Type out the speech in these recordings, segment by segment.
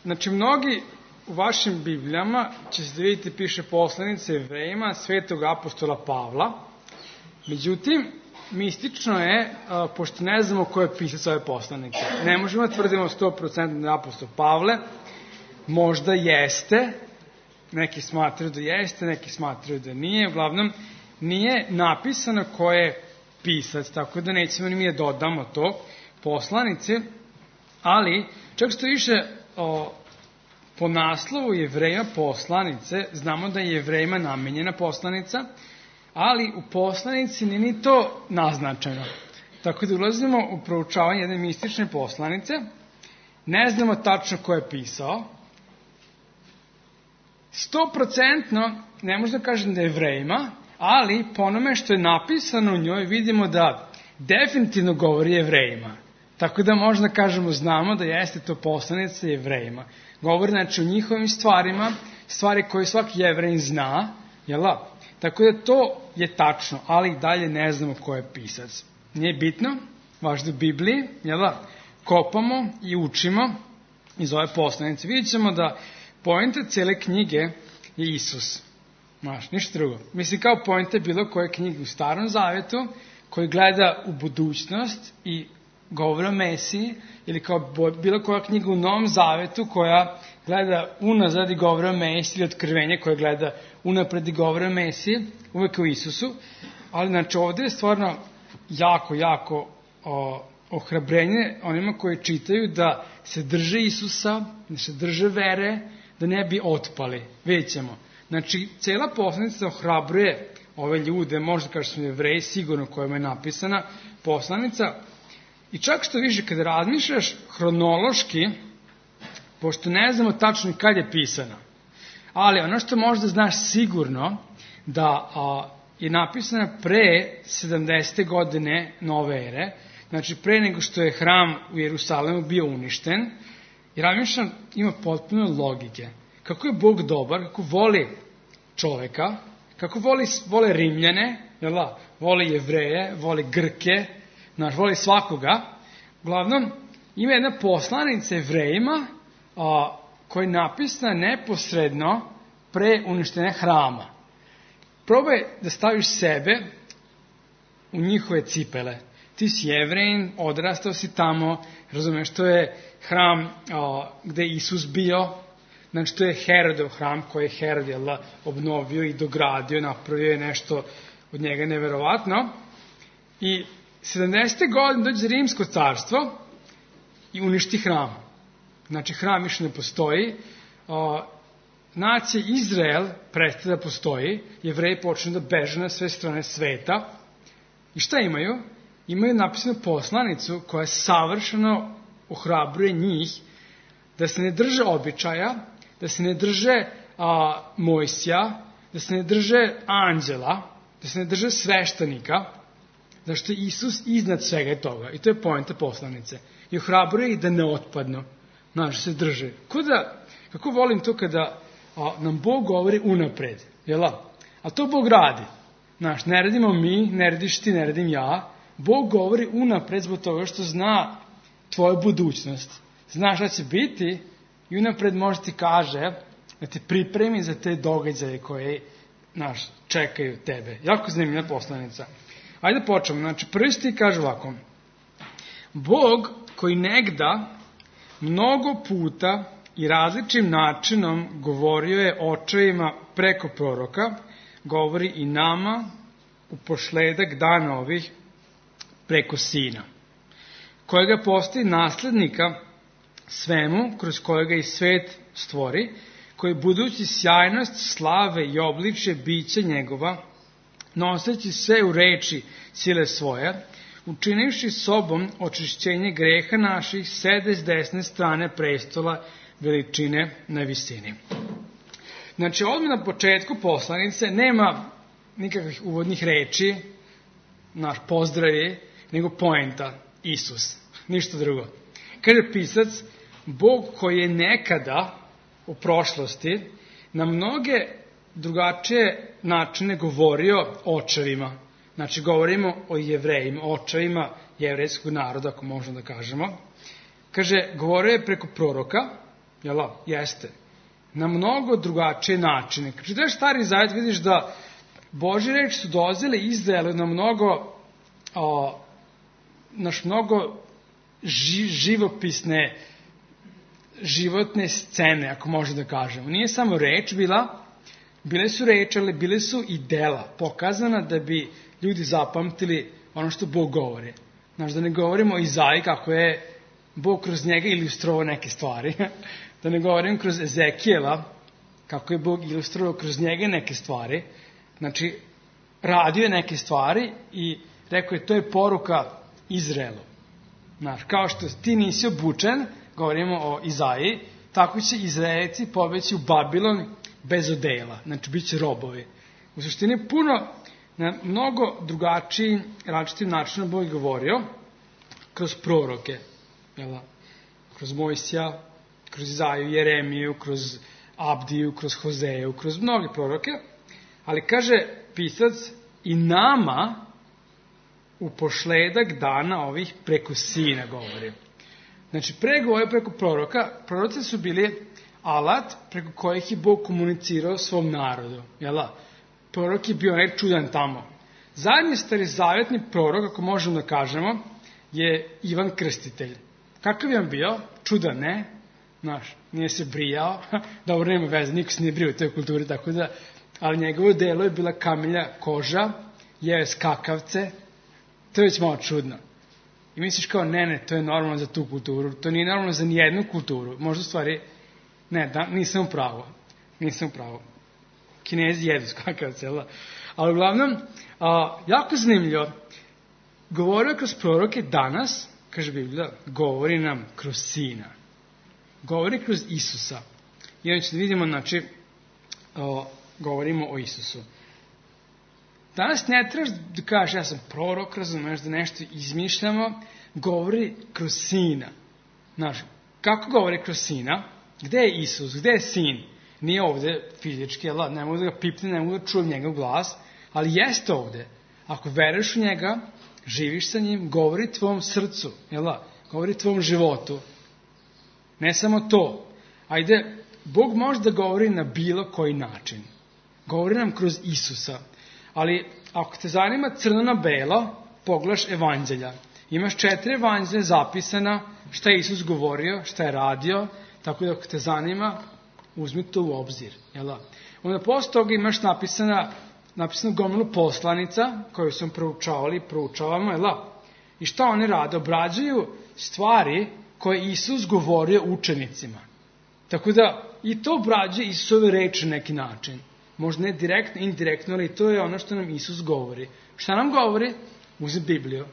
Znači, mnogi u vašim Biblijama će se da vidite piše poslanice Jevrejima svetog apostola Pavla. Međutim, mistično je, pošto ne znamo ko je pisac ove poslanike. Ne možemo tvrdimo 100% da je apostol Pavle. Možda jeste, neki smatraju da jeste, neki smatraju da nije. Uglavnom, nije napisano ko je pisac, tako da nećemo ni mi da dodamo to poslanice, ali čak što više po naslovu Jevreja poslanice, znamo da je Jevrejima namenjena poslanica, ali u poslanici nije ni to naznačeno. Tako da ulazimo u proučavanje jedne mistične poslanice, ne znamo tačno ko je pisao, 100% ne možda kažem da je Jevrejima, ali po onome što je napisano u njoj vidimo da definitivno govori Jevrejima. Tako da možda kažemo, znamo da jeste to poslanica Jevrejima. Govori znači o njihovim stvarima, stvari koje svaki Jevrejin zna, jel da? Tako da to je tačno, ali dalje ne znamo ko je pisac. Nije bitno, važno u Bibliji, jel da? Kopamo i učimo iz ove poslanice. Vidjet ćemo da poenta cijele knjige je Isus. Znaš, ništa drugo. Mislim, kao poenta bilo koje knjige u Starom Zavetu, koji gleda u budućnost i govori o Mesiji, ili kao bilo koja knjiga u Novom Zavetu koja gleda unazad i govori o Mesiji, ili Otkrivenje koje gleda unapred i govori o Mesiji, uvek o Isusu. Ali, znači, ovdje je stvarno jako ohrabrenje onima koji čitaju da se drže Isusa, da se drže vere, da ne bi otpali. Vidjet ćemo. Znači, cijela poslanica ohrabruje ove ljude, možda kao što su Jevreji, sigurno kojima je napisana poslanica. I čak što više, kada razmišljaš hronološki, pošto ne znamo tačno kad je pisana, ali ono što možda znaš sigurno, da je napisana pre 70. godine nove ere, znači pre nego što je hram u Jerusalemu bio uništen, i razmišljam, ima potpuno logike. Kako je Bog dobar, kako voli čoveka, kako voli Rimljane, jel da? Voli Jevreje, voli Grke, voli svakoga. Uglavnom, ima jedna poslanica Jevrejima koja je napisana neposredno pre uništenja hrama. Probaj da staviš sebe u njihove cipele. Ti si Jevrejin, odrastao si tamo, razumeš, to je hram gde je Isus bio, znači to je Herodov hram koji je Herod obnovio i dogradio, napravio je nešto od njega neverovatno. I 70. godine dođe Rimsko carstvo i uništi hram. Znači hram više ne postoji, nacija Izrael prestaje da postoji, Jevreji počnu da beže na sve strane sveta. I šta imaju? Imaju napisanu poslanicu koja savršeno ohrabruje njih da se ne drže običaja, da se ne drže Mojsija, da se ne drže anđela, da se ne drže sveštenika, zašto je Isus iznad svega toga. I to je poenta poslanice. I ohrabruje ih da ne otpadnu, da se drže. Kako volim to kada nam Bog govori unapred, jel? A to Bog radi. Ne radimo mi, ne radiš ti, ne radim ja. Bog govori unapred zbog toga što zna tvoju budućnost. Zna šta će biti i unapred može ti kaže da te pripremi za te događaje koje čekaju tebe. Jako zanimljiva poslanica. Ajde da počnemo. Znači, prvi stih kaže ovako. Bog koji negda mnogo puta i različitim načinom govorio je očevima preko proroka, govori i nama u pošledak dana ovih preko Sina, kojega postoji naslednika svemu, kroz kojega i svet stvori, koji budući sjajnost, slave i obličje bića njegova, noseći sve u reči sile svoje, učinivši sobom očišćenje greha naših, sede s desne strane prestola veličine na visini. Znači, odmah na početku poslanice nema nikakvih uvodnih reči, naš pozdravi, nego poenta, Isus, ništa drugo. Kaže pisac, Bog koji je nekada u prošlosti na mnoge drugačije načine govorio očevima. Znači, govorimo o Jevrejima, očevima jevrejskog naroda, ako možemo da kažemo. Kaže, govorio je preko proroka, Jel' jeste? Na mnogo drugačije načine. Kad čitaš Stari Zavet, vidiš da Božje reči su dolazile Izraelu na mnogo živopisne, životne scene, ako može da kažemo. Nije samo reč bile su reči, ali bile su i dela, pokazana da bi ljudi zapamtili ono što Bog govori. Znaš, da ne govorimo o Izaiji kako je Bog kroz njega ilustrovao neke stvari, da ne govorim kroz Ezekijela kako je Bog ilustrovao kroz njega neke stvari. Znači, radio je neke stvari i rekao je, to je poruka Izraelu. Znaš, kao što ti nisi obučen, govorimo o Izaiji, tako će Izraelci pobeći u Babilon bez odela. Znači, bit će robovi. U suštini, na mnogo drugačiji, različitim načinom Bog govorio kroz proroke. Kroz Mojsija, kroz Izaiju, Jeremiju, kroz Abdiju, kroz Hozeju, kroz mnoge proroke. Ali kaže pisac, i nama u pošledak dana ovih preko sina govori. Znači, pregovore preko proroka, proroci su bili alat preko kojih je Bog komunicirao svom narodu. Prorok je bio čudan tamo. Zadnji starozavetni prorok, ako možemo da kažemo, je Ivan Krstitelj. Kakav je on bio? Čudan, ne? Znaš, nije se brijao. Dobro, nema veze, niko se nije brio u toj kulturi, tako da, ali njegovo delo je bila kamilja koža, jeo je skakavce, to je već malo čudno. I misliš kao, ne, to je normalno za tu kulturu, to nije normalno za nijednu kulturu. Možda stvari, nisam u pravu. Kinezi jedu skakavce, ali uglavnom, jako zanimljivo, govorio kroz proroke danas, kaže Biblija, govori nam kroz Sina. Govori kroz Isusa. I onda ćete vidimo, znači, govorimo o Isusu. Danas ne trebaš da kažeš, ja sam prorok, razumeš, da nešto izmišljamo, govori kroz Sina. Znaš, kako govori kroz Sina? Gde je Isus? Gde je Sin? Nije ovde fizički, ne mogu da ga pipne, ne mogu da čujem njegov glas, ali jeste ovde. Ako veruješ u njega, živiš sa njim, govori tvom srcu, govori tvom životu. Ne samo to. Ajde, Bog može da govori na bilo koji način. Govori nam kroz Isusa. Ali ako te zanima crno na belo, pogledaš evanđelja. Imaš 4 evanđelja zapisana, šta je Isus govorio, šta je radio, tako da ako te zanima, uzmi to u obzir. Onda posle toga imaš napisano gomilu poslanica koju sam proučavamo, I šta oni rade? Obrađuju stvari koje Isus govorio učenicima. Tako da i to obrađuje Isusove reči na neki način. Možda ne direktno, indirektno, ali to je ono što nam Isus govori. Šta nam govori? Uzmi Bibliju,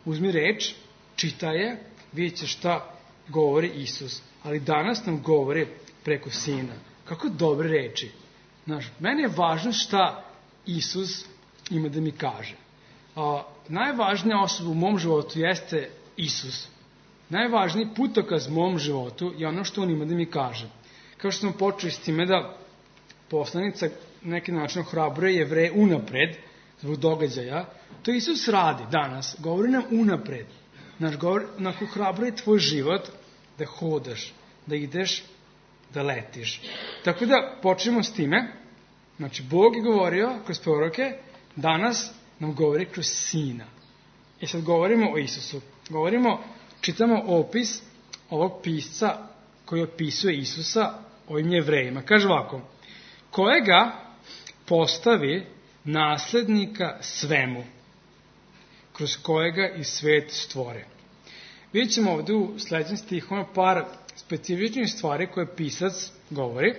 uzmi reč, čitaj je, vidjet ćeš šta govori Isus. Ali danas nam govori preko Sina. Kako dobre reči. Znaš, meni je važno šta Isus ima da mi kaže. Najvažnija osoba u mom životu jeste Isus. Najvažniji putokaz u mom životu je ono što on ima da mi kaže. Kao što smo počeli s time da poslanica na neki način ohrabruje Jevreje unapred, zbog događaja, to Isus radi danas. Govori nam unapred. Znaš, ohrabruje tvoj život da hodaš, da ideš, da letiš. Tako da počnemo s time. Znači, Bog je govorio kroz proroke, danas nam govori kroz Sina. I sad govorimo o Isusu. Čitamo opis ovog pisca koji opisuje Isusa ovim Jevrejima. Kaže ovako, kojega postavi naslednika svemu, kroz kojega i svet stvore. Vidjet ćemo ovdje u sljedećem stihom par specifičnih stvari koje pisac govori.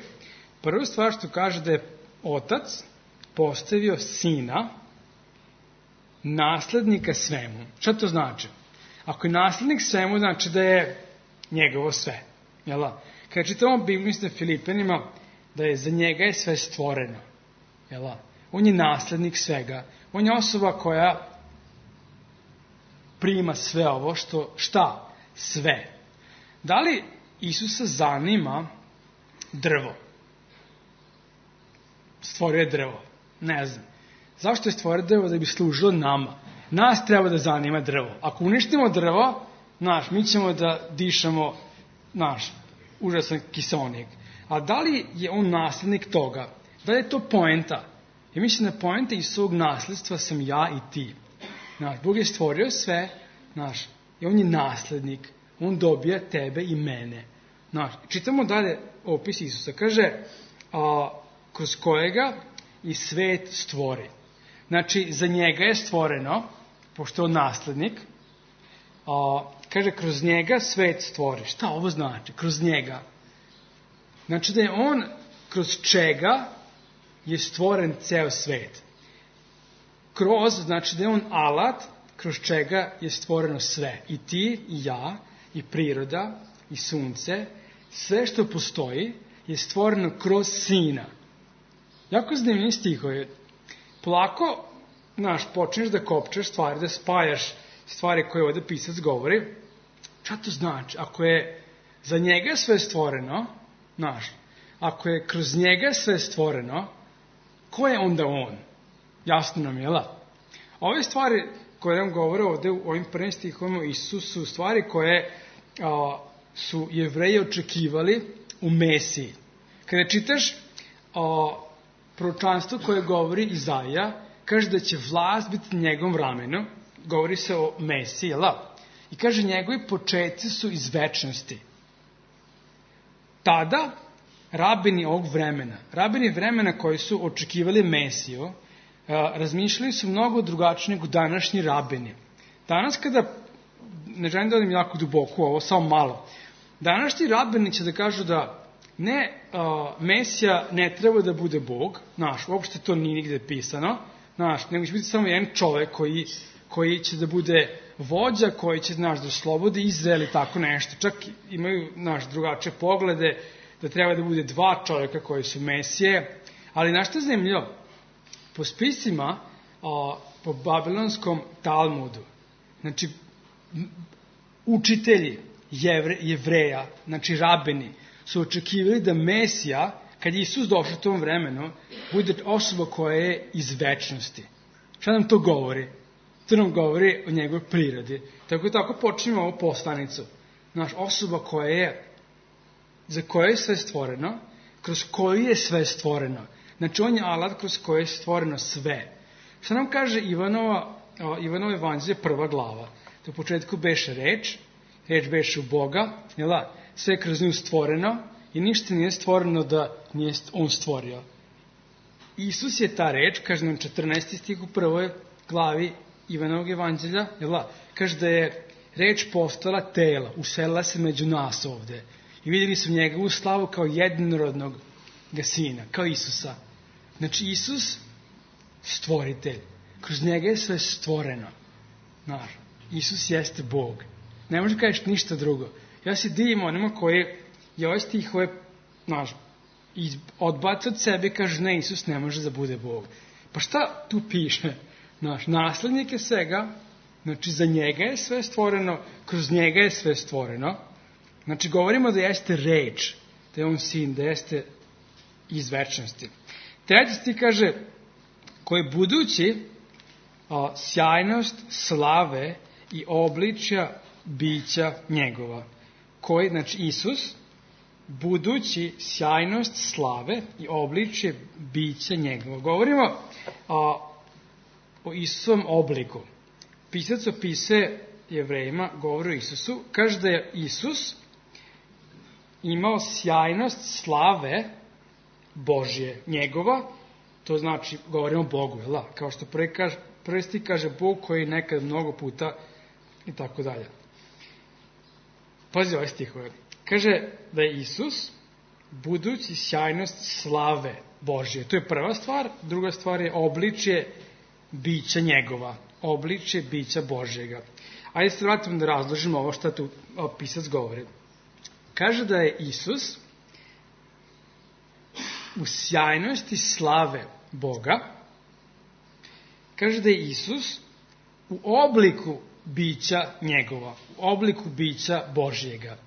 Prva stvar što kaže da je Otac postavio Sina naslednika svemu. Šta to znači? Ako je naslednik svemu, znači da je njegovo sve. Kada čitamo Bibliju na Filipenima, da je za njega je sve stvoreno. On je naslednik svega. On je osoba koja prima sve ovo šta? Sve. Da li Isusa zanima drvo? Stvorio je drvo. Ne znam. Zašto je stvorio drvo? Da bi služilo nama. Nas treba da zanima drvo. Ako uništimo drvo, mi ćemo da dišemo, užasan kiseonik. A da li je on naslednik toga? Da li je to poenta? Ja mislim da poenta iz svog nasledstva sam ja i ti. Bog je stvorio sve, i on je naslednik. On dobija tebe i mene. Čitamo dalje opis Isusa. Kaže, kroz kojega i svet stvori. Znači, za njega je stvoreno, pošto je on naslednik, kaže, kroz njega svet stvori. Šta ovo znači? Kroz njega. Znači da je on, kroz čega je stvoren ceo svet. Kroz, znači da je on alat, kroz čega je stvoreno sve. I ti, i ja, i priroda, i sunce, sve što postoji je stvoreno kroz Sina. Jako zanimljivi stihovi. Polako, počneš da kopčaš stvari, da spajaš stvari koje ovdje pisac govori. Šta to znači? Ako je za njega sve stvoreno, ako je kroz njega sve stvoreno, ko je onda on? Jasno nam je, Ove stvari koje nam govore ovdje u ovim prvim stihovima Isusu su stvari koje su Jevreji očekivali u Mesiji. Kada čitaš proročanstvo koje govori Izaija, kaže da će vlast biti na njegovom ramenu, govori se o Mesiji, i kaže njegovi početci su iz večnosti. Tada rabini ovog vremena, rabini vremena koji su očekivali Mesiju, razmišljali su mnogo drugačije nego današnji rabini. Danas kada, ne želim da odim jako duboko ovo, samo malo, današnji rabini će da kažu da Mesija ne treba da bude Bog, uopšte to nije nigde pisano, nego će biti samo jedan čovek koji će da bude vođa, koji će, da slobodi Izrael i tako nešto. Čak imaju, drugačije poglede, da treba da bude dva čovjeka koji su Mesije, ali nešto je zanimljivo. Po spisima, po babilonskom Talmudu, znači, učitelji Jevreja, znači rabini, su očekivali da Mesija, kad je Isus došao u tom vremenu, bude osoba koja je iz večnosti. Šta nam to govori? To nam govori o njegovoj prirodi. Tako počinjemo ovu poslanicu. Osoba koja je, za koje je sve stvoreno, kroz koju je sve stvoreno. Znači, on je alat kroz koje je stvoreno sve. Šta nam kaže Ivanovo evanđelje, 1. glava? To u početku beše reč beše u Boga, sve je kroz nju stvoreno i ništa nije stvoreno da nije on stvorio. Isus je ta reč, kaže nam 14. stih u 1. glavi Ivanovog evanđelja, kaže da je reč postala tela, uselila se među nas ovde. I vidjeli su njegovu slavu kao jedinorodnog sina, kao Isusa. Znači, Isus, stvoritelj. Kroz njega je sve stvoreno. Isus jeste Bog. Ne može kažeš ništa drugo. Ja se divim onima koji je ovaj stihove odbaca od sebe i kaže, ne, Isus ne može da bude Bog. Pa šta tu piše? Naslednik je svega, znači za njega je sve stvoreno, kroz njega je sve stvoreno. Znači, govorimo da jeste reč, da je on sin, da jeste iz večnosti. Treći stih kaže, koji budući sjajnost slave i obličja bića njegova. Koji, znači Isus, budući sjajnost slave i obličje bića njegova. Govorimo o Isusovom obliku. Pisac opisuje Jevrejima, govori o Isusu, kaže da je Isus imao sjajnost slave Božje njegova, to znači, govorimo o Bogu, kao što prvi stih kaže Bog koji nekad mnogo puta i tako dalje. Pazi ovaj stih ovaj. Kaže da je Isus budući sjajnost slave Božje. To je prva stvar. Druga stvar je obličje bića njegova. Obličje bića Božjega. Ajde se vratimo da razložimo ovo što tu pisac govori. Kaže da je Isus u sjajnosti slave Boga. Kaže da je Isus u obliku bića njegova. U obliku bića Božjega.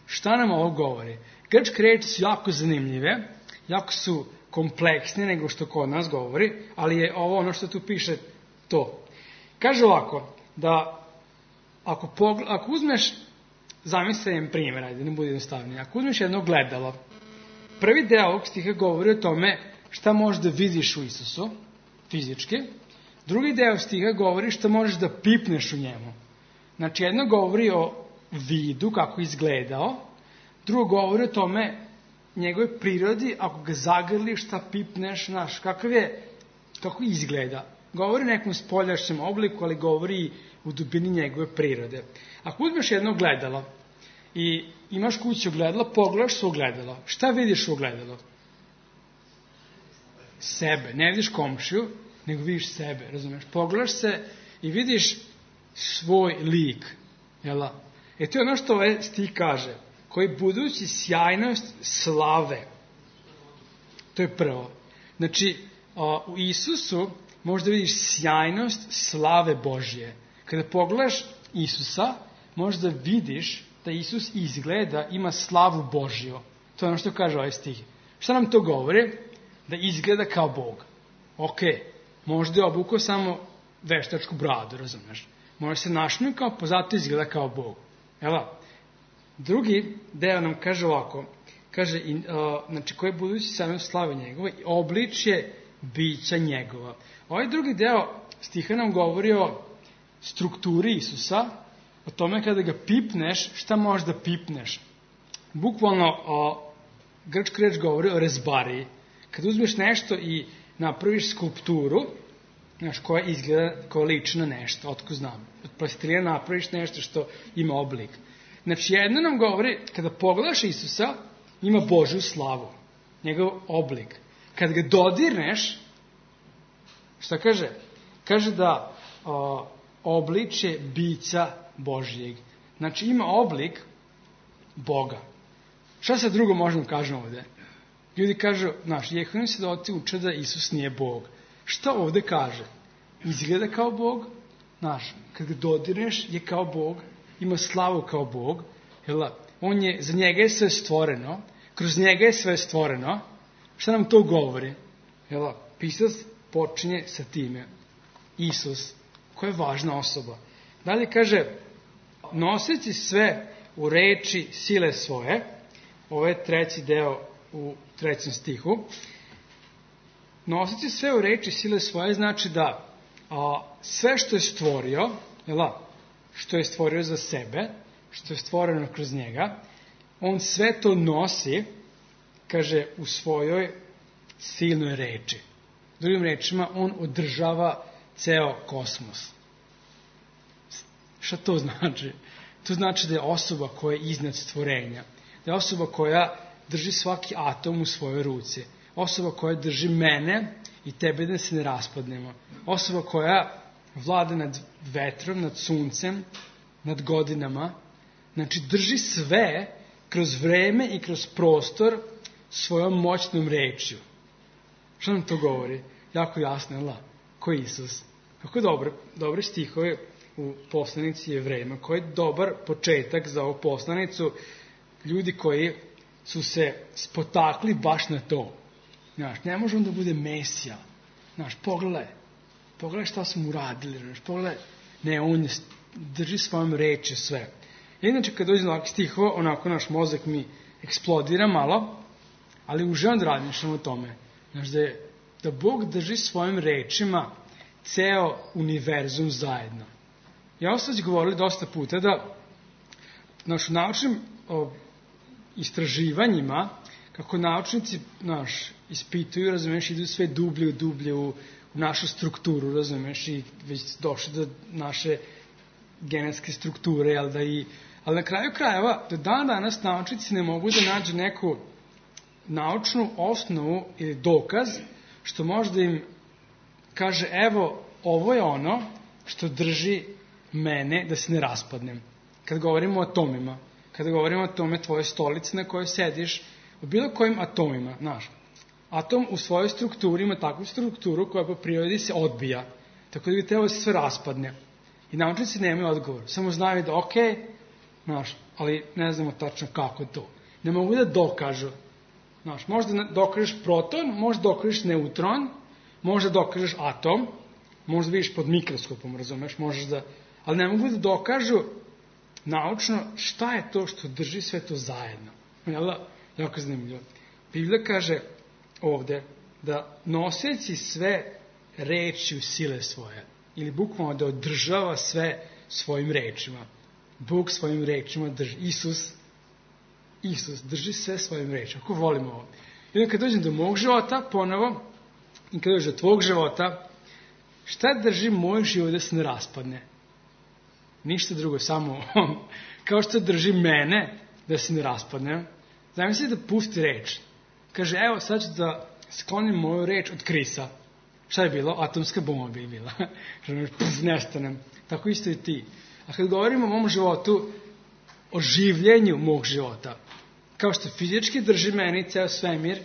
Šta nam ovo govori? Grčke reči su jako zanimljive, jako su kompleksne nego što kod nas govori, ali je ovo ono što tu piše to. Kaže ovako, da ako uzmeš zamislim primjer, ajde, ne bude jednostavnije. Ako uzmeš jedno gledalo, prvi deo ovog stiha govori o tome šta možeš da vidiš u Isusu, fizički. Drugi deo stiha govori šta možeš da pipneš u njemu. Znači, jedno govori o vidu, kako izgledao, drugo govori o tome njegove prirodi, ako ga zagrliš, šta pipneš, znaš, kako izgleda. Govori o nekom spoljašnjem obliku, ali govori u dubini njegove prirode. Ako uzmeš jedno gledalo i imaš kući ogledalo, pogledaš se u ogledalo. Šta vidiš u ogledalo? Sebe. Ne vidiš komšiju, nego vidiš sebe, razumeš? Pogledaš se i vidiš svoj lik. Jela? To je ono što ovaj stih kaže. Koji budući sjajnost slave. To je prvo. Znači, u Isusu možda vidiš sjajnost slave Božje. Kada pogledaš Isusa, možda vidiš da Isus izgleda, ima slavu Božju. To je ono što kaže ovaj stih. Šta nam to govori? Da izgleda kao Bog. Ok, možda je obukao samo veštačku bradu, razumeš? Možda se našmikao, pa zato izgleda kao Bog. Evo, drugi deo nam kaže ovako, kaže, znači, koje budući sjajnost slave njegove, obličje bića njegova. Ovaj drugi deo stiha nam govori o strukturi Isusa, o tome kada ga pipneš, šta možeš da pipneš. Bukvalno, grčka reč govori o rezbariji. Kada uzmeš nešto i napraviš skulpturu, znaš, koja izgleda, koja liči na nešto, otko znam. Od plastilina napraviš nešto što ima oblik. Znači, jedno nam govori, kada pogledaš Isusa, ima Božju slavu, njegov oblik. Kad ga dodirneš, šta kaže? Kaže da obličje bića Božjeg. Znači, ima oblik Boga. Šta sad drugo možemo kažemo ovde? Ljudi kažu, znaš, Jehovini svedoci uče da Isus nije Bog. Šta ovde kaže? Izgleda kao Bog, znaš, kad ga dodirneš je kao Bog, ima slavu kao Bog, za njega je sve stvoreno, kroz njega je sve stvoreno. Šta nam to govori? Pisac počinje sa time. Isus, koja je važna osoba. Dalje kaže, noseći sve u reči sile svoje, ovo je treći deo u 3. stihu, noseći sve u reči sile svoje znači da sve što je stvorio, što je stvorio za sebe, što je stvoreno kroz njega, on sve to nosi, kaže, u svojoj silnoj reči. Drugim rečima, on održava ceo kosmos. Šta to znači? To znači da je osoba koja je iznad stvorenja. Da je osoba koja drži svaki atom u svojoj ruci. Osoba koja drži mene i tebe da se ne raspadnemo. Osoba koja vlada nad vetrom, nad suncem, nad godinama. Znači, drži sve kroz vreme i kroz prostor svojom moćnom rečju. Što nam to govori? Jako jasno, ko je Isus? Kako dobre stihove u poslanici Jevrejima, koji je dobar početak za ovu poslanicu, ljudi koji su se spotakli baš na to. Znaš, ne može on da bude Mesija. Znaš, pogledaj šta smo uradili, znaš, pogledaj. Ne, on drži svojom reči sve. Inače, kad dođe na ovakvih stihova, onako naš mozak mi eksplodira malo, ali uživam da razmišljam o tome. Znaš, da Bog drži svojim rečima ceo univerzum zajedno. Ja sam već govorili dosta puta da u naučnim istraživanjima, kako naučnici ispituju, razumeš, idu sve dublje u našu strukturu, razumeš, i već došli do naše genetske strukture, ali na kraju krajeva, do dan danas naučnici ne mogu da nađu neku naučnu osnovu ili dokaz što možda im kaže, evo, ovo je ono što drži mene da se ne raspadnem. Kad govorimo o atomima, kada govorimo o tome tvoje stolice na kojoj sediš, o bilo kojim atomima, znaš, atom u svojoj strukturi ima takvu strukturu koja po prirodi se odbija, tako da bi trebalo da se sve raspadne. I naučnici nemaju odgovor, samo znaju da ok, znaš, ali ne znamo tačno kako to. Ne mogu da dokažu. Znaš, možda dokažeš proton, možda dokažeš neutron, možda dokažeš atom, možda vidiš pod mikroskopom, razumeš, možeš da, ali ne mogu da dokažu naučno šta je to što drži sve to zajedno. Jako zanimljivo. Biblija kaže ovde da noseći sve reči u sile svoje, ili bukvalno da održava sve svojim rečima. Bog svojim rečima drži. Isus drži sve svojim rečima. Ako volimo ovo. I onda kad dođem do mog života, ponovo, i kad dođem do tvog života, šta drži moj život da se ne raspadne? Ništa drugo, samo kao što drži mene da se ne raspadne. Zamisli da pusti reč. Kaže, evo sad ću da sklonim moju reč od Krisa. Šta je bilo? Atomska bomba bi bila. Nestanem. Tako isto i ti. A kad govorimo o mom životu, o življenju mog života, kao što fizički drži meni ceo svemir,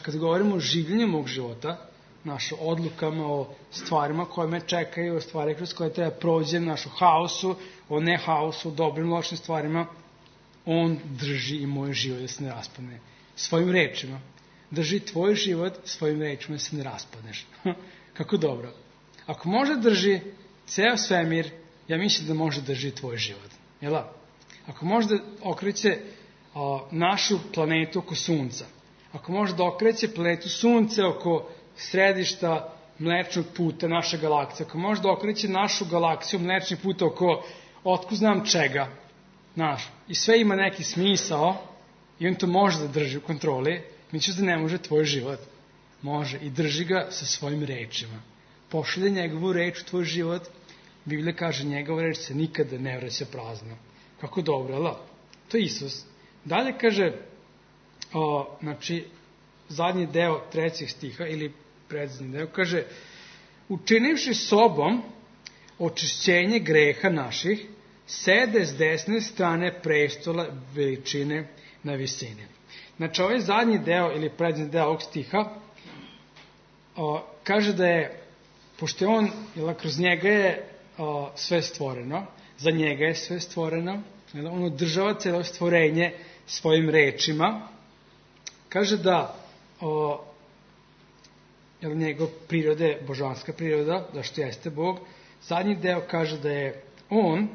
kad govorimo o življenju mog života, o odlukama, o stvarima koje me čekaju, o stvari kroz koje treba prođem, o haosu, o ne haosu, o dobrim, lošim stvarima, on drži i moj život da se ne raspadne. Svojim rečima. Drži tvoj život svojim rečima da se ne raspadneš. Kako dobro. Ako može drži ceo svemir, ja mislim da može drži tvoj život. Jel' ako može da okreće našu planetu oko Sunca, ako može da okreće planetu Sunce oko središta Mlečnog puta naše galaksije, ako može da okreće našu galaksiju Mlečni put oko otkud znam čega, i sve ima neki smisao i on to može da drži u kontroli, misliš da ne može tvoj život? Može i drži ga sa svojim rečima. Pošalje njegovu reč u tvoj život, Biblija kaže njegova reč se nikada ne vraća prazna. Kako dobro, ali? To je Isus. Dalje kaže, zadnji deo 3. stiha ili predzadnji deo, kaže, učinivši sobom očišćenje greha naših, sede s desne strane prestola veličine na visini. Znači, ovaj zadnji deo ili predzadnji deo ovog stiha kaže da je, pošto je on, kroz njega je sve stvoreno, za njega je sve stvoreno, on održava celo stvorenje svojim rečima, kaže da njegov priroda je božanska priroda, zašto jeste Bog. Zadnji deo kaže da je on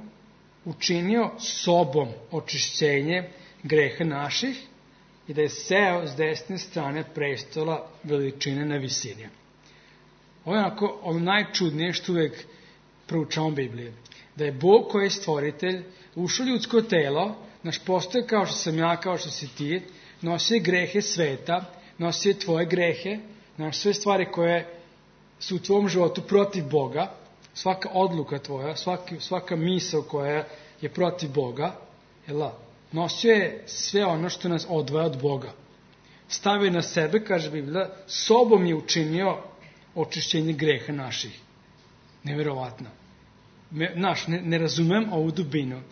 učinio sobom očišćenje greha naših i da je seo s desne strane prestola veličine na visini. Ovo je ono najčudnije što uvek proučavamo Bibliju. Da je Bog koji je stvoritelj ušao ljudsko telo, postoje kao što sam ja, kao što si ti, nosio je grehe sveta, nosio je tvoje grehe, sve stvari koje su u tvom životu protiv Boga, svaka odluka tvoja, svaka misao koja je protiv Boga, nosio je sve ono što nas odvaja od Boga. Stavio na sebe, kaže Biblija, sobom je učinio očišćenje greha naših. Neverovatno. Ne razumem ovu dubinu,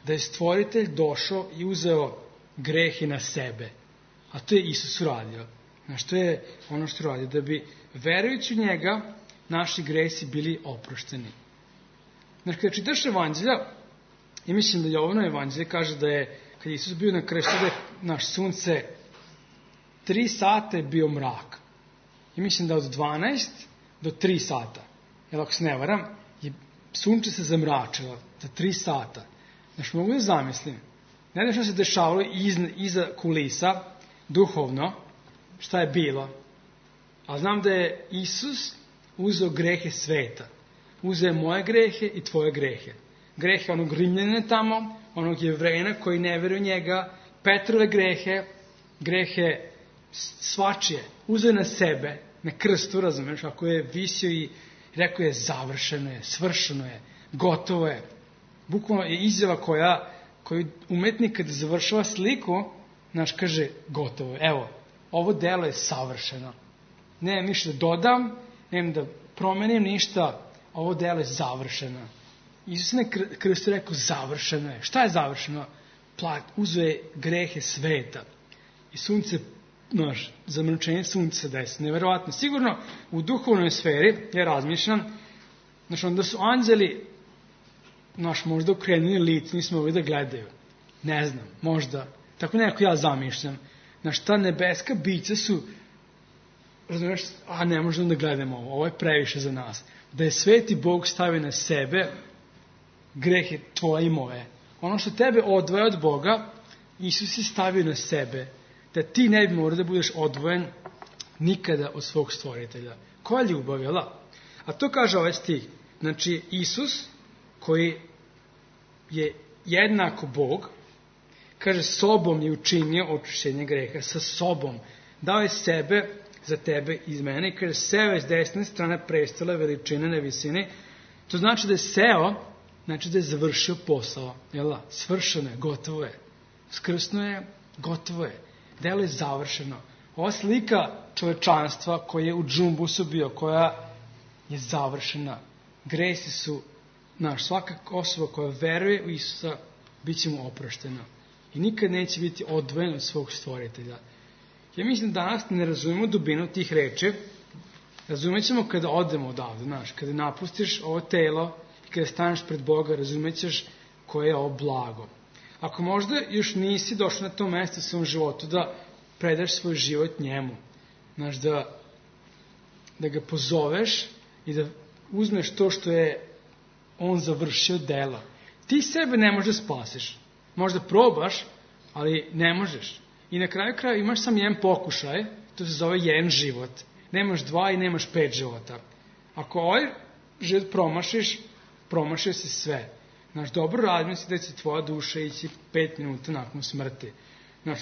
da je stvoritelj došao i uzeo grehe na sebe. A to je Isus uradio. To je ono što uradio, da bi verujući u njega naši gresi bili oprošteni. Kada čitaš evanđelja, i mislim da Jovano evanđelje kaže da je, kad je Isus bio na krstu, da je naš sunce 3 sata je bio mrak. I mislim da od 12 do 3 sata, jer ako se ne varam, sunce se zamračilo za 3 sata. Mogu da zamislim, ne znam što se dešavalo iza kulisa, duhovno, šta je bilo, a znam da je Isus uzeo grehe sveta. Uzeo moje grehe i tvoje grehe. Grehe onog Rimljana tamo, onog Jevrejna koji ne veruje njega, Petrove grehe svačije. Uzeo na sebe, na krstu, razumeš, ako je visio i rekao je završeno je, svršeno je, gotovo je. Bukvalno je izjava koju umetnik kada završava sliku, kaže gotovo je. Evo, ovo delo je savršeno. Nemam ništa da dodam, nemam da promenim ništa, ovo delo je završeno. Isus na krstu rekao završeno je. Šta je završeno? Uzeo je grehe sveta. I sunce, zamračenje sunca se desi. Neverovatno. Sigurno u duhovnoj sferi, ja razmišljam, onda su anđeli možda okrenuli lice, nismo mogli da gledaju. Ne znam, možda. Tako nekako ja zamišljam. Ta nebeska bića su, razumiješ, ne možemo da gledamo ovo je previše za nas. Da je sveti Bog stavio na sebe grehe tvoje i moje. Ono što tebe odvaja od Boga, Isus je stavio na sebe, da ti ne bi morao da budeš odvojen nikada od svog stvoritelja. Koja ljubav, jel da? A to kaže ovaj stih. Znači, Isus, koji je jednako Bog, kaže, sobom je učinio očišćenje greha, sa sobom. Dao je sebe za tebe iz mene i kaže, seo je s desne strane prestola veličine na visini. To znači da je seo, znači da je završio posao. Jel da? Svršeno je, gotovo je. Skrsno je, gotovo je. Delo je završeno. Ova slika čovečanstva koja je u džumbusu bio, koja je završena. Gresi su, svaka osoba koja veruje u Isusa, bit će mu oproštena. I nikad neće biti odvojen od svog stvoritelja. Ja mislim da danas ne razumemo dubinu tih reči. Razumet ćemo kada odemo odavde, kada napustiš ovo telo i kada staneš pred Boga, razumet ćeš koje je ovo blago. Ako možda još nisi došao na to mesto u svom životu da predaš svoj život njemu, da ga pozoveš i da uzmeš to što je on završio dela. Ti sebe ne možeš da spasiš. Možda probaš, ali ne možeš. I na kraju kraja imaš samo jedan pokušaj, to se zove jedan život. Nemaš 2 i nemaš 5 života. Ako ovaj život promašiš, promašio si sve. Dobro radimo si da će tvoja duša ići 5 minuta nakon smrti.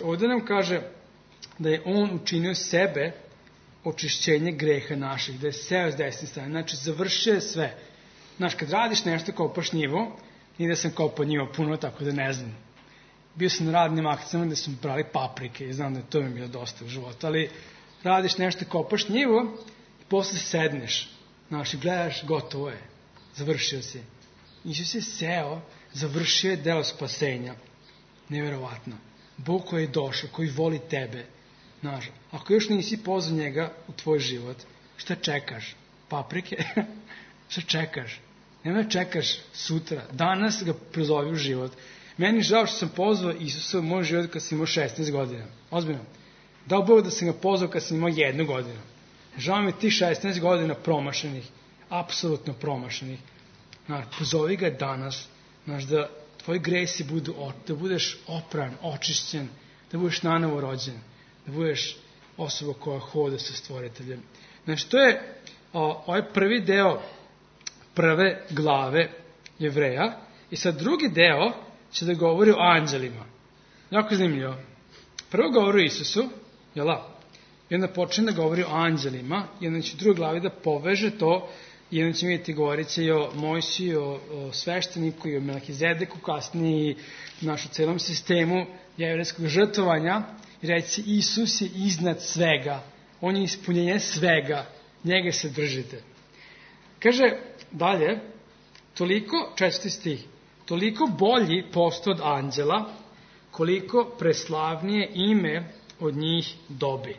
Ovdje nam kaže da je on učinio sebe očišćenje greha naših, da je seo s desne strane. Znači, završio je sve. Kad radiš nešto, kopaš njivu, i da sam kopao njivo puno, tako da ne znam. Bio sam na radnim akcijama gde sam brali paprike i znam da to mi je bilo dosta u životu, ali radiš nešto, kopaš njivu i posle sedneš. I gledaš, gotovo je. Završio si. Isus je seo, završio je deo spasenja. Neverovatno. Bog koji je došao, koji voli tebe. Ako još nisi pozvao njega u tvoj život, šta čekaš? Paprike? Šta čekaš? Nemoj da čekaš sutra. Danas ga prozovi u život. Meni žao što sam pozvao Isusa u moj život kad sam imao 16 godina. Ozbiljno. Dao Bog da sam ga pozvao kad sam imao 1 godinu. Žao mi ti 16 godina promašenih. Apsolutno promašenih. Pozovi ga danas. Da tvoji gresi budu, da budeš opran, očišćen, da budeš nanovo rođen, da budeš osoba koja hoda sa stvoriteljem. To je ovaj prvi deo prve glave Jevreja. I sad drugi deo će da govori o anđelima. Jako zanimljivo. Prvo govori o Isusu, jel da? I onda počne da govori o anđelima, i onda će u drugoj glavi da poveže to, i onda ćemo vidjeti, govorit će i o Mojsiju, o svešteniku, i o Melkizedeku, kasnije i u celom sistemu jevrejskog žrtvovanja, i reći, Isus je iznad svega, on je ispunjenje svega, njega se držite. Kaže dalje, toliko, 4. stih, toliko bolji posto od anđela, koliko preslavnije ime od njih dobi.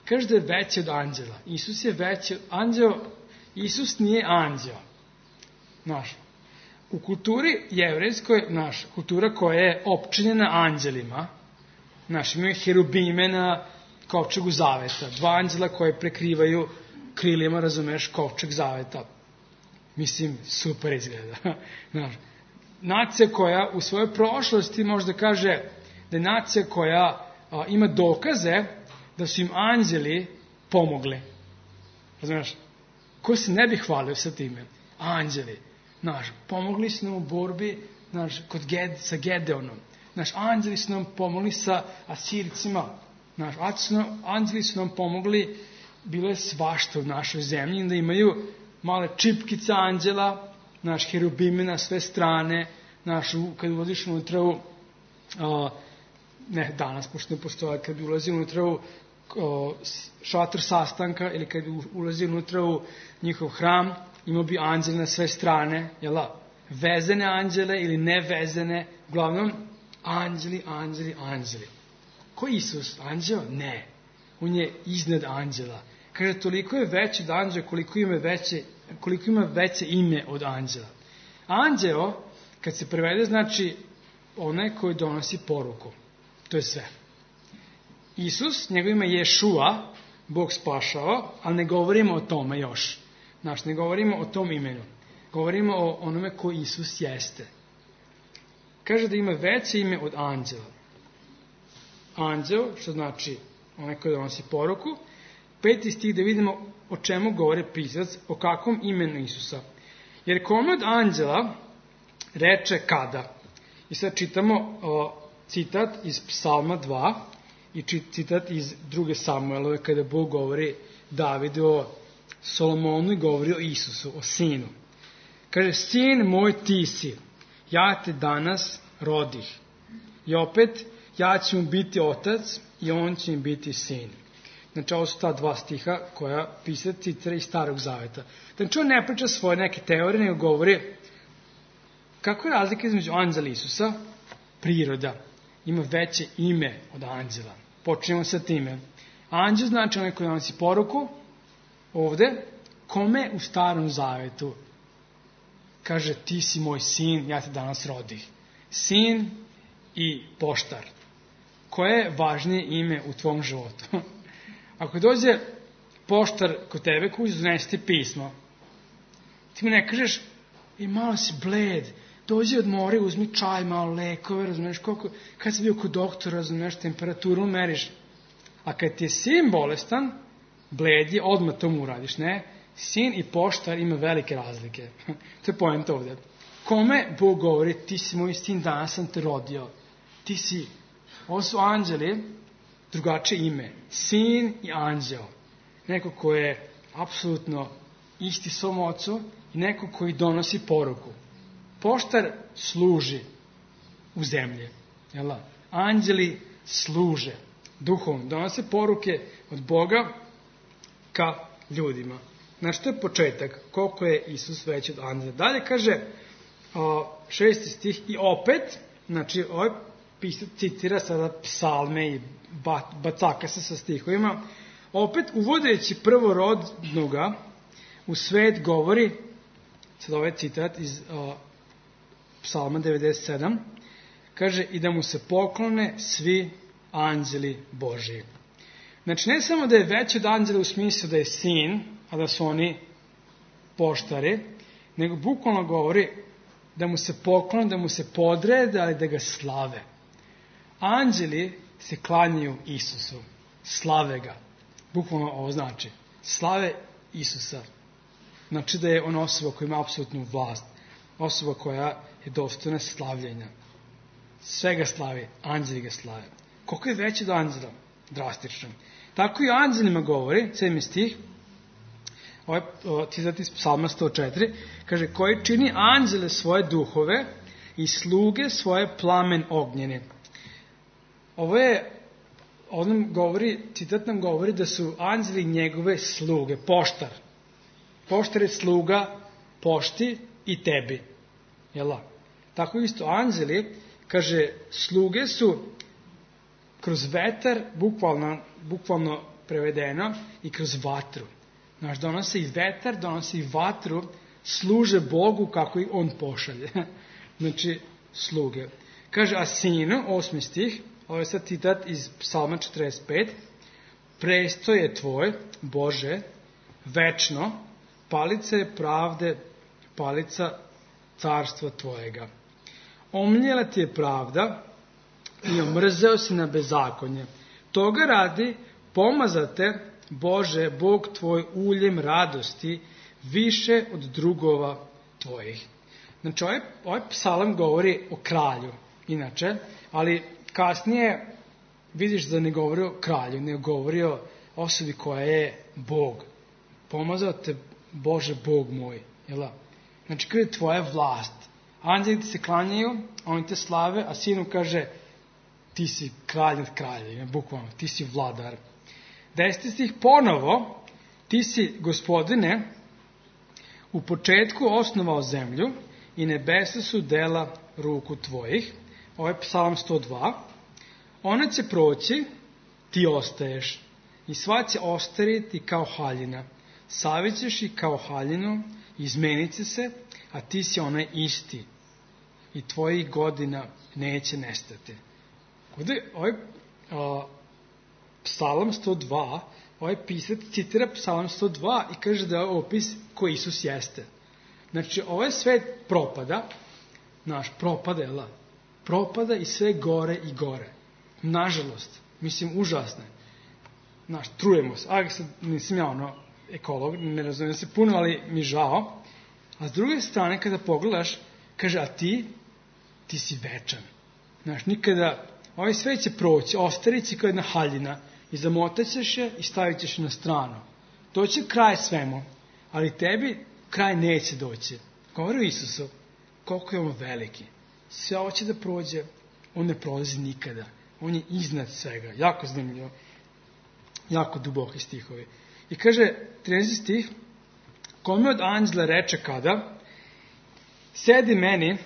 Kaže da je veći od anđela. Isus je veći od anđela. Isus nije anđeo. U kulturi jevrejskoj, kultura koja je opčinjena anđelima, imaju herubime na kovčegu zaveta, 2 anđela koje prekrivaju krilima, razumeš, kovčeg zaveta. Mislim, super izgleda. Nacija koja u svojoj prošlosti možda kaže da je nacija koja ima dokaze da su im anđeli pomogli. Razumeš? Ko se ne bi hvalio sa time? Anđeli. Pomogli su nam u borbi sa Gedeonom. Anđeli su nam pomogli sa Asircima. Anđeli su nam pomogli, bilo je svašta u našoj zemlji, da imaju male čipkice anđela, herubime na sve strane, kad ulaziš unutra u, ne danas, pošto ne postoje, kad bi ulazi unutra u šator sastanka, ili kad bi ulazi unutra u njihov hram, imao bi anđele na sve strane, vezene anđele ili nevezene, uglavnom, anđeli. Ko je Isus? Anđeo? Ne. On je iznad anđela. Kaže, toliko je veći od anđela koliko ima veće ime od anđela. Anđeo, kad se prevede, znači onaj koji donosi poruku. To je sve. Isus, njegov ime je Ješua, Bog spašava, ali ne govorimo o tome još. Ne govorimo o tom imenu. Govorimo o onome ko Isus jeste. kaže da ima veće ime od anđela. Anđeo, što znači onaj koji donosi poruku. 5. stih da vidimo o čemu govori pisac, o kakvom imenu Isusa. Jer kome od anđela reče kada? I sad čitamo citat iz Psalma 2 i citat iz 2. Samuelove kada Bog govori Davidu o Solomonu i govori o Isusu, o sinu. Kaže, sin moj ti si, ja te danas rodih. I opet, ja ću mu biti otac i on će mi biti sin. Znači, ovo su ta 2 stiha koja pisac citira iz Starog Zaveta. Znači, on ne priča svoje neke teorije, nego govori kako je razlika između anđela i Isusa? Priroda. Ima veće ime od anđela. Počnemo sa time. Anđel znači onaj koji donosi poruku. Ovde, kome u Starom Zavetu kaže ti si moj sin, ja te danas rodih. Sin i poštar. Koje je važnije ime u tvom životu? Ako dođe poštar kod tebe koji donese ti pismo, ti mu ne kažeš malo si bled, dođi odmori, uzmi čaj, malo lekove, razumeš koliko, kad si bio kod doktora, razumeš, temperaturu meriš. A kad ti je sin bolestan, bled je, odmah to mu uradiš, ne? Sin i poštar ima velike razlike. To je poenta ovde. Kome Bog govori, ti si moj sin, danas sam te rodio. Ti si, ovo su anđeli, drugačije ime. Sin i anđel. Neko ko je apsolutno isti svom ocu i neko koji donosi poruku. Poštar služi u zemlji. Jel? Anđeli služe duhom. Donose poruke od Boga ka ljudima. Znači, to je početak. Koliko je Isus veći od anđela. Dalje kaže 6. stih i opet, znači, ovaj pisac citira sada psalme i bacaka se sa stihovima. Opet, uvodeći prvorodnoga u svet govori, sad ovaj citat iz psalma 97, kaže i da mu se poklone svi anđeli Božiji. Znači, ne samo da je veći od anđela u smislu da je sin, a da su oni poštari, nego bukvalno govori da mu se poklone, da mu se podrede, ali da ga slave. Anđeli se klanjaju Isusu, slave ga. Bukvalno ovo znači. Slave Isusa. Znači da je on osoba koja ima apsolutnu vlast. Osoba koja je dostojna slavljenja. Sve ga slavi, anđeli ga slave. Koliko je veći od anđela? Drastično. Tako i o anđelima govori, 7. stih, ovaj citat iz Psalma 104, kaže, koji čini anđele svoje duhove i sluge svoje plamen ognjene. Ovo je, citat nam govori da su anđeli njegove sluge, poštar. Poštar je sluga pošti i tebi. Jel' tako isto anđeli, kaže, sluge su kroz vetar, bukvalno prevedeno, i kroz vatru. Znači, donose i vetar, donose i vatru, služe Bogu kako ih on pošalje. Znači, sluge. Kaže, a sinu, 8. stih, ovo je sad citat iz Psalma 45, prestoj je tvoj, Bože, večno, palica je pravde, palica carstva tvojega. Omljela ti je pravda i omrzeo si na bezakonje. Toga radi, pomazate, Bože, Bog tvoj uljem radosti, više od drugova tvojih. Znači, ovaj psalam govori o kralju, inače, ali kasnije vidiš da ne govori o kralju, ne govori o osobi koja je Bog. Pomazao te, Bože, Bog moj. Jel? Znači, kada je tvoja vlast. Anđeli ti se klanjaju, oni te slave, a sinu kaže, ti si kralj nad kraljevima, bukvalno, ti si vladar. 10. stih ponovo, ti si, Gospodine, u početku osnovao zemlju i nebesa su dela ruku tvojih. Ovo je Psalam 102. Ona će proći, ti ostaješ, i sva će ostariti kao haljina. Savićeš i kao haljinu, izmenit će se, a ti si onaj isti. I tvojih godina neće nestati. Ovdje ovaj Psalam 102, ovaj pisac citira Psalam 102 i kaže da je opis ko Isus jeste. Znači, ovaj svet propada, naš propada, propada i sve gore i gore. Nažalost, mislim, užasno je. Trujemo se. Sad nisam ja ekolog, ne razumijem se puno, ali mi žao. A s druge strane, kada pogledaš, kaže, a ti si večan. Nikada, ovaj svet će proći, ostarit će kao jedna haljina i zamotat ćeš je i stavit ćeš na stranu. Doći kraj svemu, ali tebi kraj neće doći. Govori o Isusu, koliko je on veliki. Sve ovo će da prođe, on ne prolazi nikada. On je iznad svega. Jako zanimljivo. Jako duboki stihovi. I kaže, 13. stih, kome od anđela reče kada, sedi meni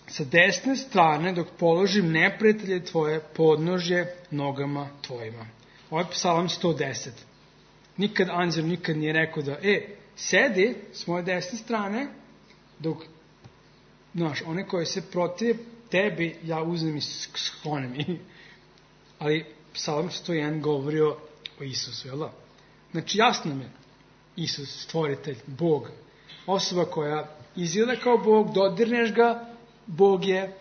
sa desne strane dok položim neprijatelje tvoje podnožje nogama tvojima. Ovo je Psalam 110. Nikad anđel nikad nije rekao da, sedi s moje desne strane dok, one koje se protive tebi, ja uzmem i sklonem. Ali Psalam 101 govori o Isusu, jel da? Znači, jasno mi je, Isus, stvoritelj, Bog, osoba koja izgleda kao Bog, dodirneš ga, Bog je,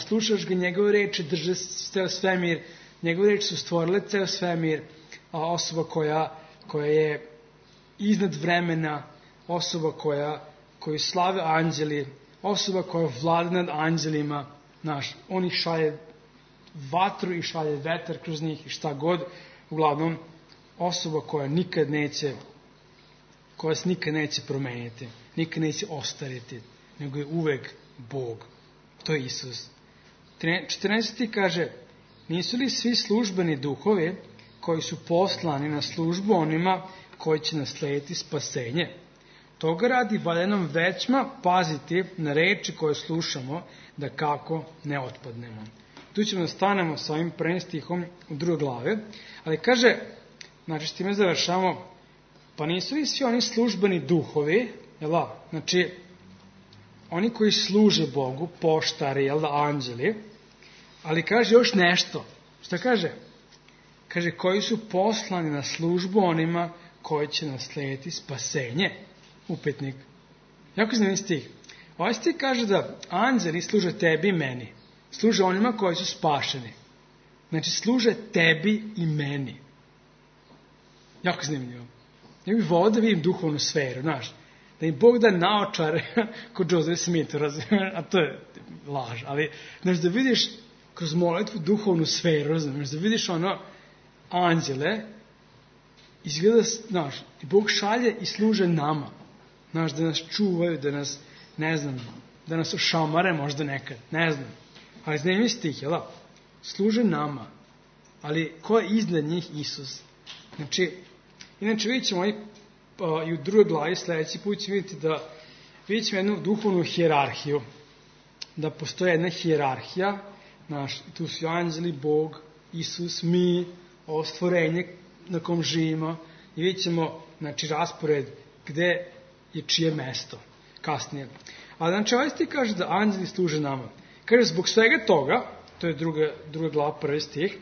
slušaš ga, njegove reči drže ceo svemir, njegove reči su stvorile ceo svemir, a osoba koja je iznad vremena, osoba koju slave anđeli, osoba koja vlada nad anđelima, on ih šalje vatru i šalje vetar kroz njih i šta god, uglavnom, osoba koja se nikad neće promeniti, nikad neće ostariti, nego je uvek Bog. To je Isus. 14. kaže, nisu li svi službeni duhovi koji su poslani na službu onima koji će naslediti spasenje? Toga radi valja nam većma paziti na reči koje slušamo, da kako ne otpadnemo. Tu ćemo da stanemo sa ovim prvim stihom u drugoj glave, ali kaže, s time završamo, pa nisu li svi oni službeni duhovi, znači, oni koji služe Bogu, poštari, anđeli, ali kaže još nešto. Šta kaže? Kaže, koji su poslani na službu onima koji će naslediti spasenje. Upetnik. Jako zanimljiv stih. Ovaj stih kaže da anđeli služe tebi i meni. Služe onima koji su spašeni. Znači, služe tebi i meni. Jako zanimljivo. Ja bih volao da vidim duhovnu sferu, da im Bog da naočare kod Joseph Smith, a to je laž, ali da vidiš kroz molitvu duhovnu sferu, da vidiš anđele, izgleda, i Bog šalje i služe nama, da nas čuvaju, da nas, da nas ošamare možda nekad, ali zanimljiv stih, služe nama, ali ko je iznad njih? Isus. Inače vidjet ćemo i u drugoj glavi sljedeći put ćemo vidjeti da vidjet ćemo jednu duhovnu hijerarhiju, da postoje jedna hijerarhija, tu su anđeli, Bog, Isus, mi, ovo stvorenje na kom živimo, i vidjet ćemo raspored gde je čije mesto kasnije. Ali ovaj stih kaže da anđeli služe nama. Kaže, zbog svega toga, to je druga glava, prvi stih,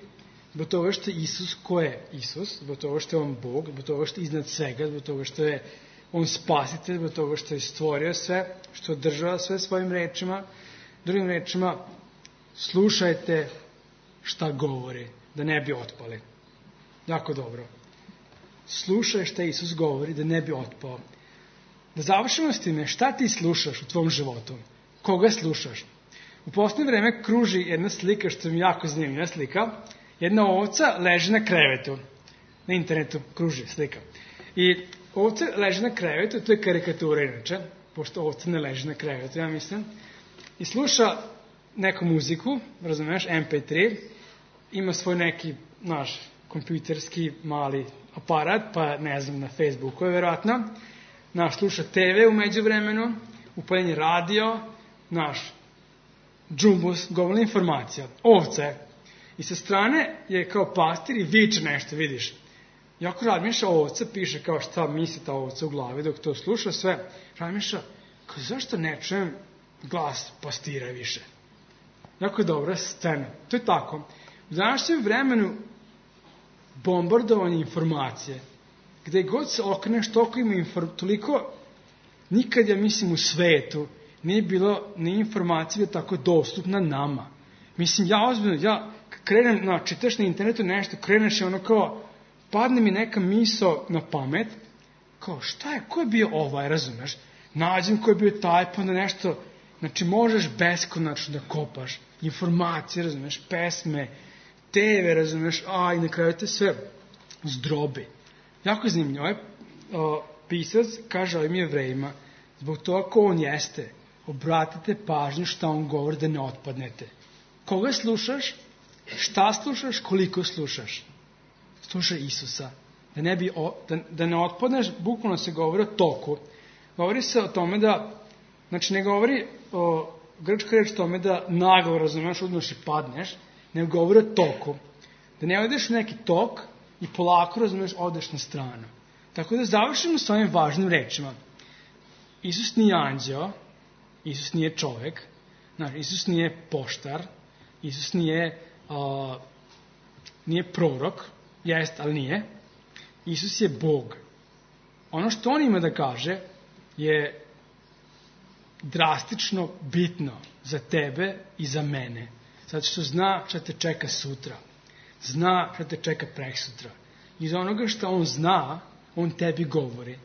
zbog toga što je Isus, ko je Isus, zbog toga što je on Bog, zbog toga što je iznad svega, zbog toga što je on spasitelj, zbog toga što je stvorio sve, što održava sve svojim rečima. Drugim rečima, slušajte šta govori, da ne bi otpali. Jako dobro. Slušaj šta Isus govori, da ne bi otpao. Da završimo s time, šta ti slušaš u tvom životu? Koga slušaš? U posljednje vreme kruži jedna slika, što mi jako zanimljiva slika. Jedna ovca leži na krevetu. Na internetu kruži slika. I ovca leži na krevetu, to je karikatura inače, pošto ovca ne leži na krevetu, ja mislim. I sluša neku muziku, razumiješ, MP3, ima svoj neki, kompjuterski mali aparat, pa na Facebooku je vjerojatno. Sluša TV u međuvremenu, upaljen je radio, džumbus, govorna informacija, ovce. I sa strane je kao pastir i viče nešto, vidiš. Jako razmišlja ovca, piše kao šta misli ta ovca u glavi dok to sluša sve. Razmišlja, zašto ne čujem glas pastira više? Jako je dobra scena. To je tako. U današnjem vremenu bombardovanje informacije, gde god se okreneš, toliko ima toliko, nikad ja mislim u svetu nije bilo ni informacija tako dostupna nama. Mislim, ja ozbiljno, krenem, čitaš na internetu nešto, kreneš i ono kao, padne mi neka misao na pamet, kao šta je, ko je bio razumeš? Nađem ko je bio taj, pa onda nešto, znači možeš beskonačno da kopaš informacije, razumeš, pesme, TV, razumeš, i na kraju te sve zdrobi. Jako zanimljivo, pisac kaže ovim Jevrejima, zbog toga ko on jeste, obratite pažnju šta on govori da ne otpadnete. Koga slušaš, šta slušaš, koliko slušaš. Slušaj Isusa. Da ne otpadneš, bukvalno se govori o toku. Govori se o tome da, znači ne govori o grčka reč tome da naglo, razumeš, uzmeš i padneš, nego govori o toku. Da ne odeš u neki tok i polako, razumeš, odeš na stranu. Tako da završimo s ovim važnim rečima. Isus nije anđeo, Isus nije čovek, znači, Isus nije poštar, Isus nije prorok, jest, ali nije. Isus je Bog. Ono što on ima da kaže je drastično bitno za tebe i za mene. Zato što zna šta te čeka sutra. Zna šta te čeka preksutra. Iz onoga što on zna, on tebi govori.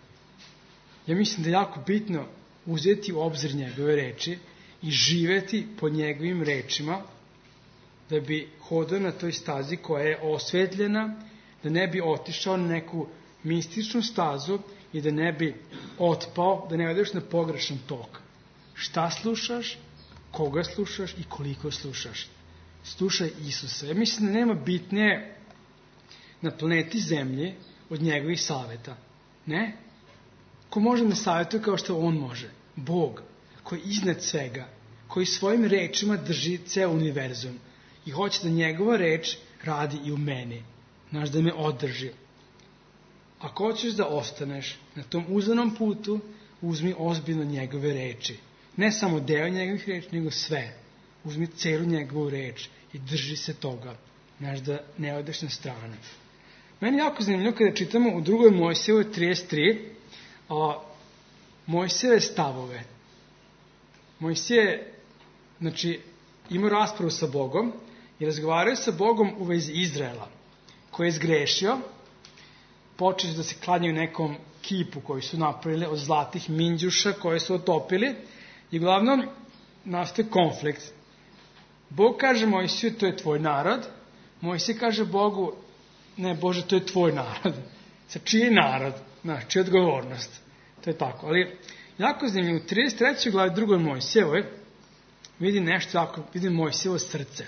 Ja mislim da je jako bitno uzeti u obzir njegove reči i živeti po njegovim rečima, da bi hodao na toj stazi koja je osvetljena, da ne bi otišao na neku mističnu stazu i da ne bi otpao, da ne odeš na pogrešan tok. Šta slušaš, koga slušaš i koliko slušaš. Slušaj Isusa. Ja mislim da nema bitnije na planeti Zemlji od njegovih saveta. Ne? Ko može da savjetuje kao što on može? Bog, koji je iznad svega, koji svojim rečima drži ceo univerzum i hoće da njegova reč radi i u meni. Znaš, da me održi. Ako hoćeš da ostaneš na tom uzvanom putu, uzmi ozbiljno njegove reči. Ne samo deo njegovih reči, nego sve. Uzmi celu njegovu reč i drži se toga. Znaš, da ne odeš na stranu. Meni je jako zanimljivo kada čitamo u 2. Mojsijevoj 33 Mojsijeve stavove. Mojsije, znači, imao raspravu sa Bogom i razgovaraju sa Bogom u vezi Izraela, koji je zgrešio, počeli da se klanjaju nekom kipu koji su napravili od zlatih minđuša koje su otopili i uglavnom nastaje konflikt. Bog kaže Mojsiju, to je tvoj narod. Mojsije kaže Bogu, ne Bože, to je tvoj narod. Sa čiji narod? Čija odgovornost? To je tako. Ali jako zanimljivo, u 33. glavi 2. Mojsijevoj vidi nešto jako, vidi Mojsijevo srce.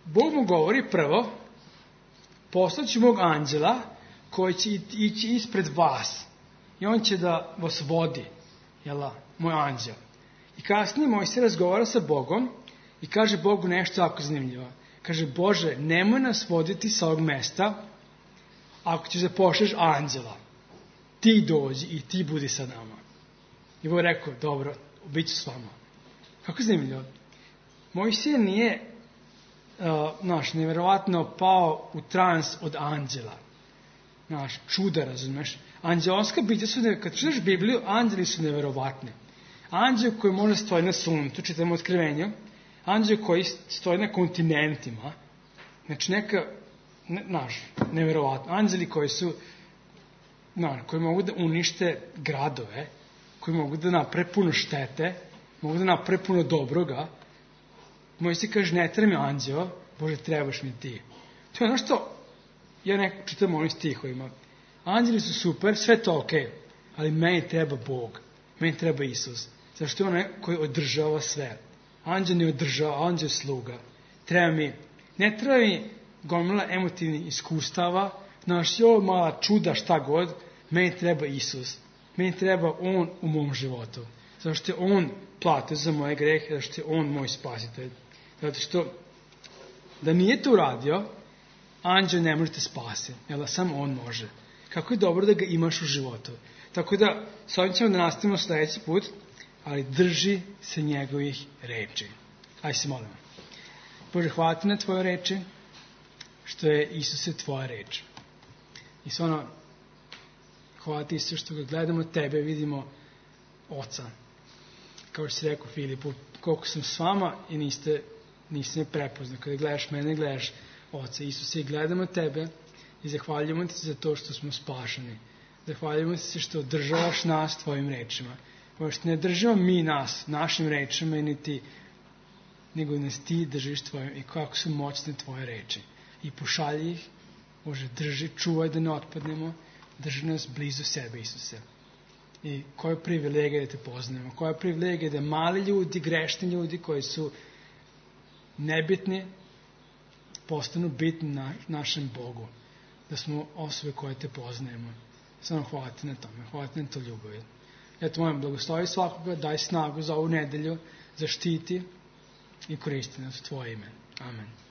Bog mu govori prvo, poslaću mog anđela koji će ići ispred vas i on će da vas vodi, moj anđel. I kasnije Mojsije razgovara sa Bogom i kaže Bogu nešto jako zanimljivo. Kaže, Bože, nemoj nas voditi sa ovog mesta ako ćeš da pošleš anđela. Ti dođi i ti budi sa nama. I Bog rekao, dobro, bit ću s vama. Kako zanimljivo? Mojsije nije nevjerovatno pao u trans od anđela. Čuda, razumeš? Anđelska bića su, kad čitaš Bibliju, anđeli su nevjerovatni. Anđel koji može stoji na suncu, čitamo otkrivenju, anđel koji stoji na kontinentima, znači nevjerovatno. Anđeli koji su, koji mogu da unište gradove, koji mogu da naprave puno štete, mogu da naprave puno dobroga. Mojsije kaže, ne treba mi anđeo, Bože, trebaš mi ti. To je ono što ja čitam ovim stihovima. Anđeli su super, sve to okej, ali meni treba Bog, meni treba Isus. Zašto je onaj koji održava sve. Anđel ne održava, anđel je sluga. Ne treba mi gomila emotivnih iskustava, mala čuda, šta god, meni treba Isus. Meni treba On u mom životu. Zašto je On platio za moje grehe, zašto je On moj spasitelj. Zato što da nije to uradio, anđel ne može te spasiti, samo on može. Kako je dobro da ga imaš u životu. Tako da, s ovim ćemo da nastavimo sledeći put, ali drži se njegovih reči. Ajde se molimo. Bože, hvala ti na tvoje reči, što je Isuse tvoja reč. I stvarno, hvala ti Isuse što ga gledamo tebe, vidimo Oca. Kao što si rekao Filipu, koliko sam s vama i niste me prepoznali. Kada gledaš mene, gledaš Oca. Isuse, gledamo tebe i zahvaljujemo ti za to što smo spašeni. Zahvaljujemo ti se što održavaš nas tvojim rečima. Što ne držimo mi nas našim rečima nego nas ti držiš tvojim i kako su moćne tvoje reči. I pošalji ih, Bože, drži, čuvaj da ne otpadnemo, drži nas blizu sebe, Isuse. I koja je privilegija da te poznajemo, koja je privilegija da mali ljudi, grešni ljudi koji su nebitni, postanu bitni našem Bogu. Da smo osobe koje te poznajemo. Samo hvala ti na tome, hvala ti na to ljubavi. Eto, mojem, blagoslovi svakoga, daj snagu za ovu nedelju, zaštiti i koristi nas u tvoje ime. Amen.